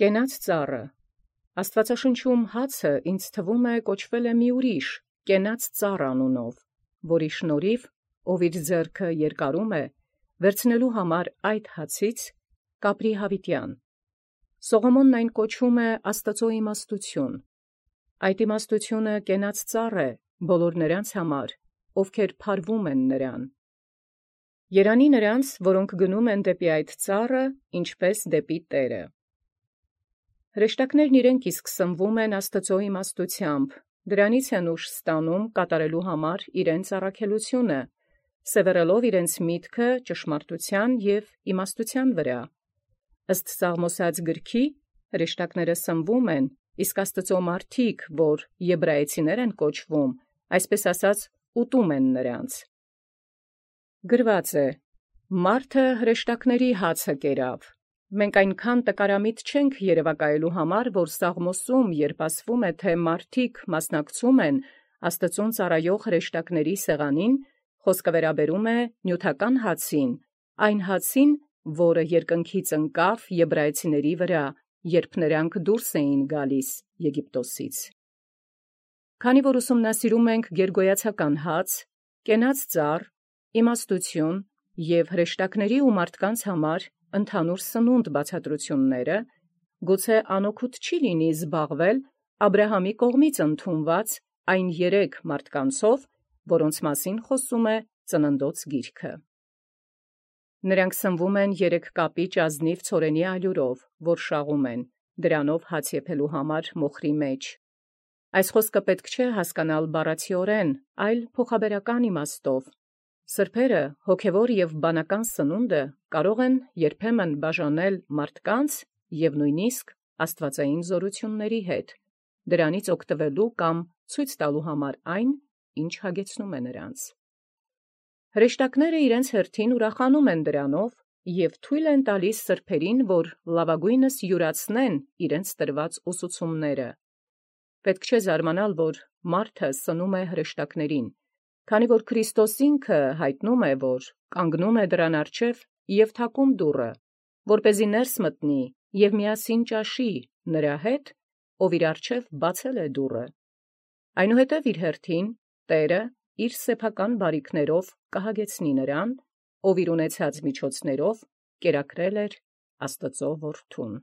Կենաց ծառը Աստուածաշնչում հացը ինձ թվում է կոչվել է մի ուրիշ կենաց ծառ անունով, որի շնորհիվ ով իր ձեռքը երկարում է, վերցնելու համար այդ հացից կապրի յաւիտեան։ Սողոմոնն այն կոչում է Աստուծոյ իմաստութիւն։ Այդ իմաստութիւնը կենաց ծառ է բոլոր նրանց համար, ովքեր փարվում են նրան։ Երանի նրանց, որոնք գնում են դեպի այդ ծառը, ինչպես դեպի Տէրը։ Հրեշտակներն իրենք իսկ սնվում են Աստուծոյ իմաստութեամբ, դրանից են ուժ ստանում կատարելու համար իրենց առաքելութիւնը, սևեռելով իրենց միտքը ճշմարտութեան և իմաստութեան վրա։ Ըստ Սաղմոս գրքի հրեշտակները սնվում են, իսկ Աստուծոյ մարդիկ, որ եբրայեցիներ են կոչվում, այսպես ասած, ուտում են նրանց։ Գրված է. «Մարդը հրեշտակների հացը կերավ»։ Մենք այնքան տկարամիտ չենք երևակայելու համար, որ Սաղմոսում, երբ ասվում է, թե մարդիկ մասնակցում են Աստծուն ծառայող հրեշտակների սեղանին, խոսքը վերաբերում է նյութական հացին, այն հացին, որը երկնքից ընկավ եբրայեցիների վրա, երբ նրանք դուրս էին գալիս Եգիպտոսից։ Քանի որ ուսումնասիրում ենք գերգոյացական հաց, կենաց ծառ, իմաստութիւն և հրեշտակների ու մարդկանց համար ընդհանուր սնունդ բացատրությունները, գուցե անօգուտ չի լինի զբաղվել Աբրահամի կողմից ընդունված այն երեք մարդկանցով, որոնց մասին խոսում է Ծննդոց գիրքը։ Նրանք սնվում են երեք կապիճ ազնիւ ցորենի ալյուրով, որ շաղում են, դրանով հաց եփելու համար մոխրի մեջ։ Այս խոսքը պետք չէ հասկանալ բառացիորեն, այլ փոխաբերական իմաստով։ Սրբերը, հոգևոր և բանական սնունդը կարող են երբեմն բաժանել մարդկանց և նույնիսկ աստուածային զորությունների հետ, դրանից օգտվելու կամ ցույց տալու համար այն, ինչ հագեցնում է նրանց։ Հրեշտակները իրենց հերթին ուրախանում են դրանով և թույլ են տալիս սրբերին, որ լավագույնս յուրացնեն իրենց տրված ուսուցումները։ Պետք չէ զարմանալ, որ մարդը սնում է հրեշտակներին, քանի որ Քրիստոս ինքը հայտնում է, որ կանգնում է դռան առջև և թակում դուռը, որպեսզի ներս մտնի և միասին ճաշի նրա հետ, ով իր առջև բացել է դուռը։ Այնուհետև իր հերթին Տէրը իր սեփական բարիքներով կհագեցնի նրան, ով իր ունեցած միջոցներով կերակրել էր Աստուծոյ որդուն։